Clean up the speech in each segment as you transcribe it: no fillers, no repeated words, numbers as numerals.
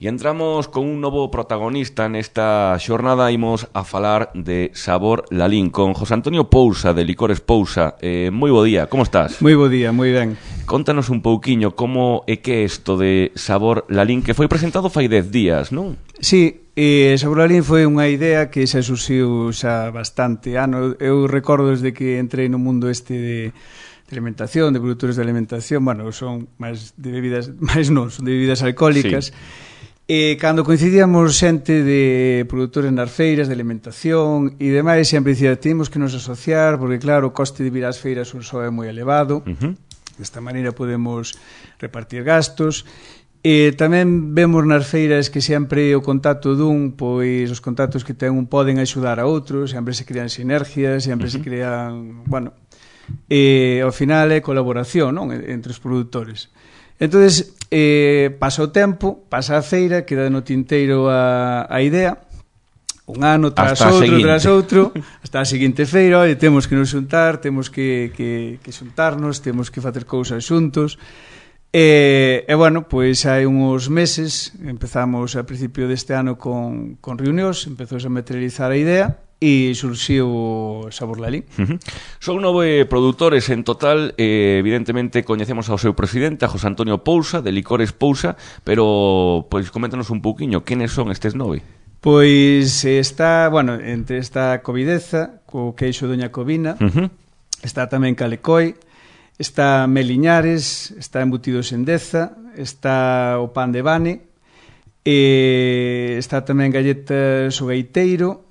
E entramos con un novo protagonista nesta xornada. Imos a falar de Sabor Lalín con José Antonio Pousa, de Licores Pousa. Moi bo día, como estás? Moi bo día, moi ben. Contanos un pouquiño como é que é isto de Sabor Lalín, que foi presentado fai 10 días, non? Sí, Sabor Lalín foi unha idea que xa surxiu xa bastante ano. Eu recordo desde que entrei no mundo este de alimentación, de produtores de alimentación, bueno, son máis de bebidas, máis non, son de bebidas alcohólicas. Sí. Cando coincidíamos xente de produtores nas feiras de alimentación e demais, sempre dicía, temos que nos asociar porque claro, o coste de vir ás feiras só é moi elevado. Desta maneira podemos repartir gastos. Tamén vemos nas feiras que sempre o contacto dun, pois os contactos que ten un poden axudar a outros, sempre se crean sinergias, sempre se crean, bueno, ao final é colaboración, non, entre os produtores. Entonces, pasa o tempo, pasa a feira, queda no tinteiro a idea, un ano tras outro, hasta a seguinte feira, oi, temos que nos xuntar, temos que xuntarnos, temos que facer cousas xuntos. E bueno, pois hai uns meses, empezamos a principio deste ano con reunións, empezou a materializar a idea, e surxiu o Sabor Lalín. Son 9 produtores en total. Evidentemente coñecemos ao seu presidente, a José Antonio Pousa, de Licores Pousa, pero pois coméntanos un pouquiño, quenes son estes 9? Pois está, bueno, entre esta Covideza, co queixo Doña Covina, está tamén Calecoi, está Meliñares, está Embutidos en Deza, está o Pan de Bane, está tamén Galletas o Gaiteiro,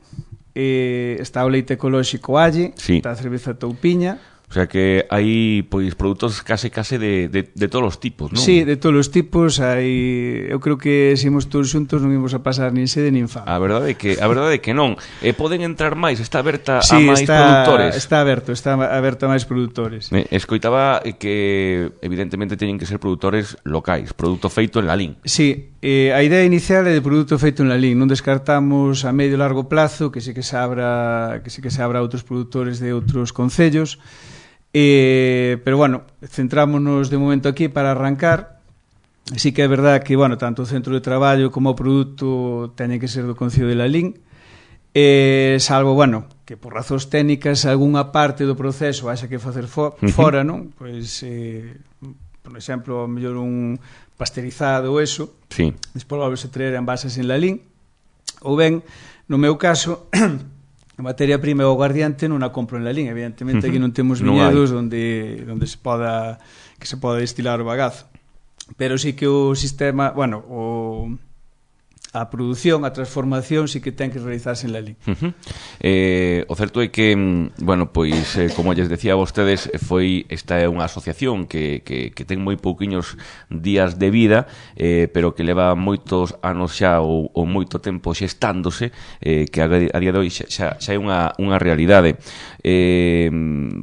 está o leite ecolóxico Alle, sí. Está a cerveza Toupiña. O sea que hai pois produtos case de todos os tipos, non? Sí, de todos os tipos. Eu creo que se imos todos xuntos non imos a pasar nin sede nin fame. A verdade é que non. Poden entrar máis, está aberta a máis produtores. Está aberto a máis produtores. Escoitaba que evidentemente teñen que ser produtores locais, produto feito en Lalín. Sí, a idea inicial é de produto feito en Lalín. Non descartamos a medio e largo plazo que sí que se abra a outros produtores de outros concellos. Pero bueno, centrámonos de momento aquí para arrancar. Sí que é verdad que, bueno, tanto o centro de traballo como o produto teñen que ser do Concello de Lalín, salvo, bueno, que por razóns técnicas algunha parte do proceso haxa que facer fora, non? Pois, por exemplo, a mellor un pasteurizado ou eso, sí. Despois volve-se traer envases en Lalín, ou ben, no meu caso, a materia prima e o aguardiente non a compro en Lalín. Evidentemente aquí non temos viñedos onde se poda destilar o bagazo, pero sí que o sistema, bueno, a produción, a transformación sí que ten que realizarse en Lalín. O certo é que, bueno, pois como lles decía a vostedes, esta é unha asociación que ten moi pouquiños días de vida, pero que leva moitos anos xa ou moito tempo xestándose, que a día de hoxe xa é unha realidade.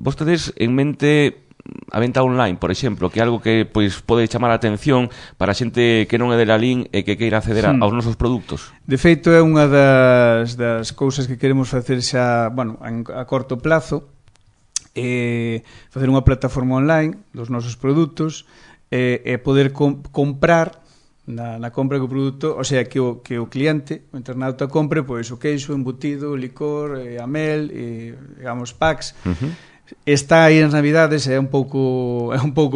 Vostedes en mente a venta online, por exemplo, que é algo que pois pode chamar a atención para a xente que non é de Lalín e que queira acceder aos nosos produtos. De feito, é unha das cousas que queremos facer xa, bueno, a corto plazo, facer unha plataforma online dos nosos produtos e poder comprar na compra do produto, o sea, que o cliente, o internauta compre pois o queixo, embutido, o licor, a mel, digamos, packs. Está aí nas Navidades, é un pouco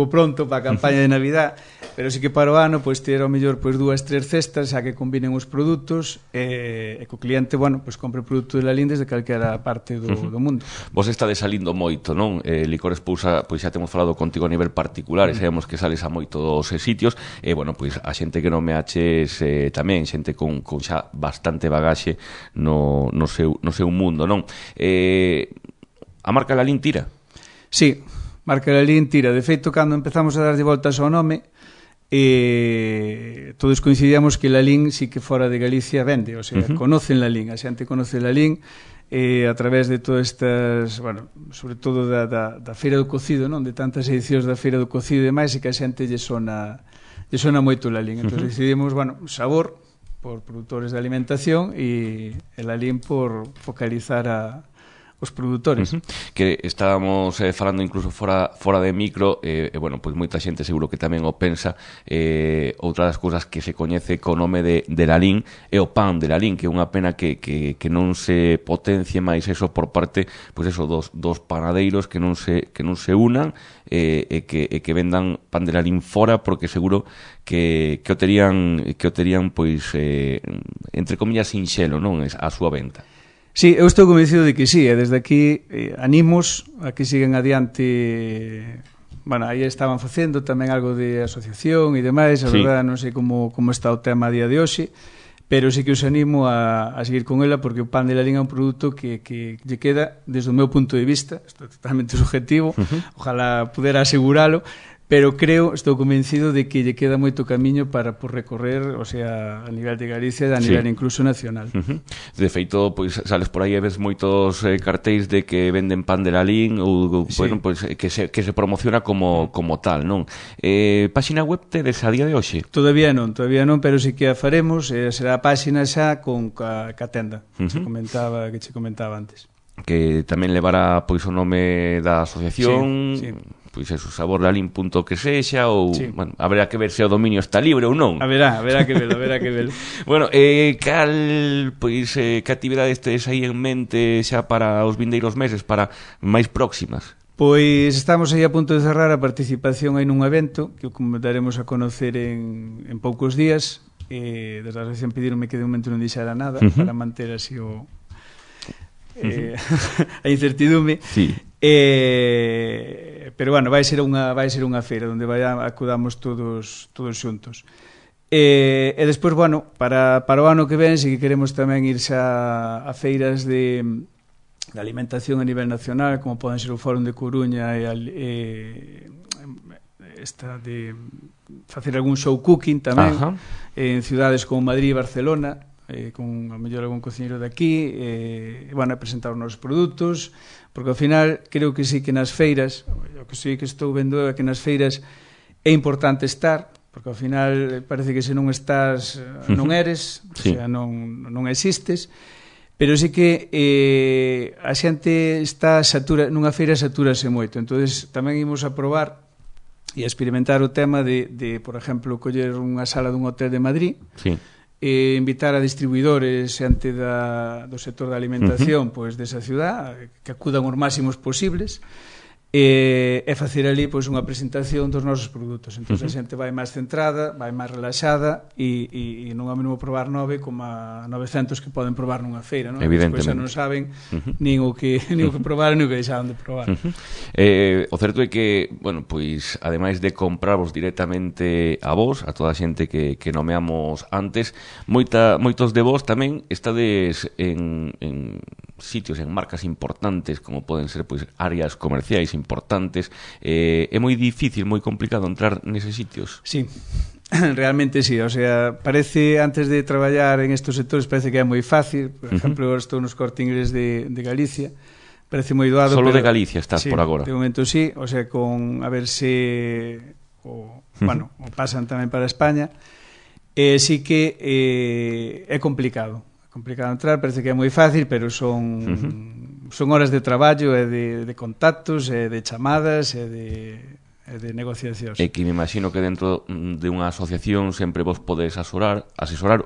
pronto para a campaña de Navidad, pero sí que para o ano pois ter ao mellor pois 2-3 cestas xa que combinen os produtos e que o cliente, bueno, pois compre o produto de Lalín desde calquera parte do mundo. Vos está desalindo moito, non? Licores Pousa, pois xa temos falado contigo a nivel particular, e sabemos que sales a moitos sitios, e bueno, pois a xente que non me aches tamén, xente con xa bastante bagaxe no seu mundo, non? A marca Lalín tira? Sí, marca Lalín tira. De feito, cando empezamos a darlle voltas ao nome, todos coincidíamos que Lalín sí que fora de Galicia vende, o sea, conocen Lalín, a xente conoce Lalín a través de todas estas, bueno, sobre todo da Feira do Cocido, non? De tantas edicións da Feira do Cocido e demais, e que a xente lle sona moito Lalín. Entón decidimos, bueno, Sabor por produtores de alimentación e Lalín por focalizar os produtores. Que estábamos falando incluso fora de micro, bueno, pois moita xente seguro que tamén o pensa, outra das cousas que se coñece co nome de Lalín é o pan de Lalín, que é unha pena que non se potencie máis eso por parte, pois eso, dos panadeiros que non se unan e que vendan pan de Lalín fora, porque seguro que o terían pois entre comillas sinxelo, non, a súa venta. Sí, eu estou convencido de que sí, e desde aquí animos a que sigan adiante. Bueno, aí estaban facendo tamén algo de asociación e demais, a verdade non sei como está o tema a día de hoxe, pero sí que os animo a seguir con ela, porque o pan de Lalín é un produto que lle queda, desde o meu punto de vista, isto é totalmente subjetivo, ojalá pudera aseguralo, pero estou convencido de que lle queda moito camiño para por recorrer, o sea, a nivel de Galicia e a nivel incluso nacional. De feito, pois sales por aí e ves moitos cartéis de que venden pan de Lalín ou bueno, pois que se promociona como tal, non? Páxina web tedes a día de hoxe? Todavía non, pero sí que a faremos, será a páxina xa con ca tenda, que che comentaba antes. Que tamén levará pois o nome da asociación, pois eso, saborlalín.que sexa ou, bueno, haberá que ver se o dominio está libre ou non. Haberá que velo. Bueno, que actividades tedes aí en mente xa para os vindeiros meses, para máis próximas? Pois estamos aí a punto de cerrar a participación aí nun evento que o daremos a conocer en poucos días. Desde a asociación pedironme que de momento non dixera nada para manter así a incertidume. Pero bueno, vai ser unha feira onde acudamos todos xuntos. E despois, bueno, para o ano que ven, si que queremos tamén irse a feiras de alimentación a nivel nacional, como poden ser o Fórum de Coruña esta de facer algún show cooking tamén en cidades como Madrid e Barcelona, con a mellor algún cociñeiro de aquí, bueno, a presentar os nosos produtos, porque ao final creo que sí que nas feiras, o que sí que estou vendo é que nas feiras é importante estar, porque ao final parece que se non estás non eres, o sea, non existes, pero sí que a xente está nunha feira satúrase moito, entonces tamén imos a probar e a experimentar o tema de por exemplo, coller unha sala dun hotel de Madrid, invitar a distribuidores xente do sector da alimentación pois desa ciudad, que acudan os máximos posibles, e facer ali pois unha presentación dos nosos produtos. Entón a xente vai máis centrada, vai máis relaxada e non é o mesmo probar 9 como a 900 que poden probar nunha feira, non? Despois xa non saben nin o que probaron nin o que deixaron de probar. O certo é que, bueno, pois ademais de comprarvos directamente a vos, a toda a xente que nomeamos antes, moitos de vos tamén estades en sitios, en marcas importantes, como poden ser pois áreas comerciais importantes. É moi difícil, moi complicado entrar neses sitios. Sí, realmente sí, o sea, parece, antes de traballar en estos sectores, parece que é moi fácil. Por exemplo, estou nos Corte Inglés de Galicia, parece moi doado. Solo de Galicia estás por agora. De momento sí, o sea, con a ver se bueno, o pasan tamén para España. Sí que é complicado entrar, parece que é moi fácil, pero son horas de traballo e de contactos e de chamadas e de negociacións. E que me imagino que dentro de unha asociación sempre vos podes asesorar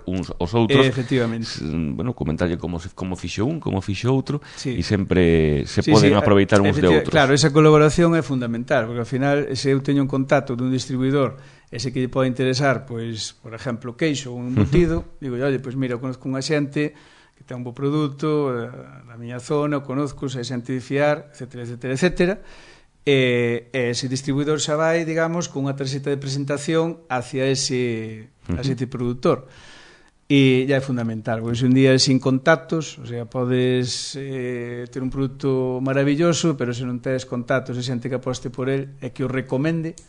uns aos outros. Efectivamente. Bueno, comentarlle como fixo un, como fixo outro, e sempre se poden aproveitar uns de outros. Claro, esa colaboración é fundamental, porque ao final, se eu teño un contacto dun distribuidor ese que lle pode interesar, pois, por exemplo, queixo ou un embutido, digo, oye, pois mira, eu conozco unha xente que ten un bo produto na miña zona, o conozco, se é xente de fiar, etcétera, e ese distribuidor xa vai, digamos, con unha tarxeta de presentación hacia ese produtor. E já é fundamental, porque se un día sin contactos, o sea, podes ter un produto maravilloso, pero se non tes contactos e xente que aposte por el e que o recomende,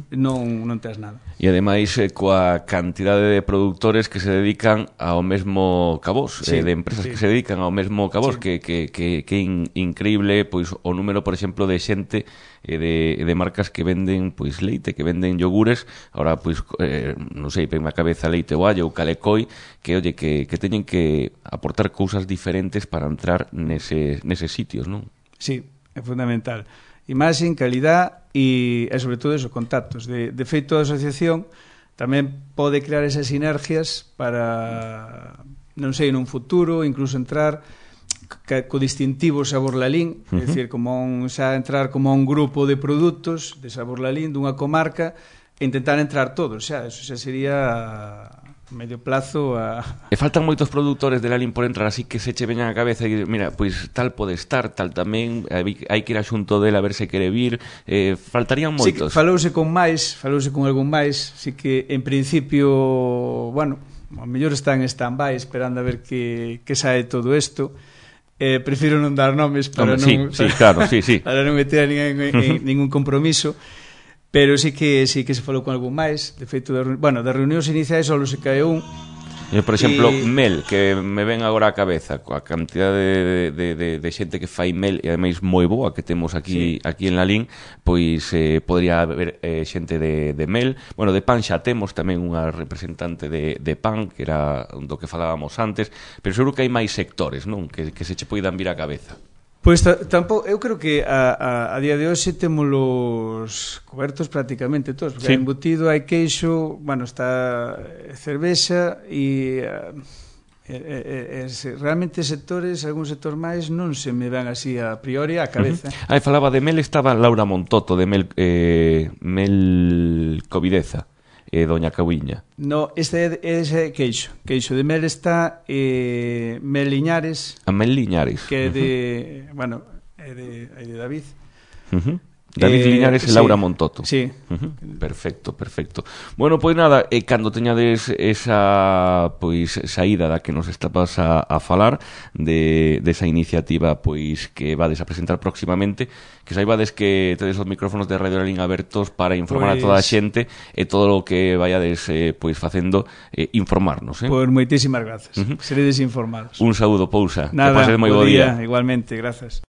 non tes nada. E ademais coa cantidade de produtores que se dedican ao mesmo cabós, de empresas que se dedican ao mesmo cabós, que é increíble pois o número, por exemplo, de xente de marcas que venden pois leite, que venden yogures, ahora pois non sei, pen na cabeza Leite Oallo ou Calecoi, que oye, que teñen que aportar cousas diferentes para entrar neses sitios, non? Sí, é fundamental. Imaxe, calidad e sobre todo esos contactos. De feito, a asociación tamén pode crear esas sinergias para, non sei, nun futuro, incluso entrar co distintivo Sabor Lalín, é dicir, xa entrar como un grupo de produtos de Sabor Lalín, dunha comarca, e intentar entrar todos, xa, eso xa sería medio plazo E faltan moitos produtores de Lalín por entrar, así que se che veñan a cabeza e mira, pois tal pode estar, tal tamén, hai que ir a xunto dele a ver se quere vir, faltarían moitos. Sí, falouse con algún máis, así que en principio, bueno, a mellor está en stand-by esperando a ver que sae todo isto. Prefiro non dar nomes para para non meter ningún compromiso. Pero sí que se falou con algún máis. De feito, das reunións iniciais só se cae un. Por exemplo, mel, que me ven agora a cabeza, coa cantidade de xente que fai mel, e ademais moi boa que temos aquí en Lalín, pois podría haber xente de mel. Bueno, de pan xa temos tamén unha representante de pan, que era do que falábamos antes, pero seguro que hai máis sectores, non? Que se che poidan vir a cabeza. Pois tampouco, eu creo que a día de hoxe témolos cobertos prácticamente todos, porque hai embutido, hai queixo, bueno, está cervexa e realmente sectores, algún sector máis non se me van así a priori á cabeza. Falaba de mel, estaba Laura Montoto de mel Covideza, Doña Cabuiña. No, este é queixo de mel está Mel Liñares. A Mel Liñares. Que é de, bueno, é de David. David Liñares e Laura Montoto. Sí. Perfecto. Bueno, pois nada, cando teñades esa pois saída da que nos estabas a falar desa iniciativa pois que vades a presentar próximamente, que saibades que tedes os micrófonos de Radio Lalín abertos para informar a toda a xente e todo o que vayades pois facendo, informarnos. Pois moitísimas grazas. Seredes informados. Un saúdo, Pousa. Nada, que pases moi bo día. Igualmente, grazas.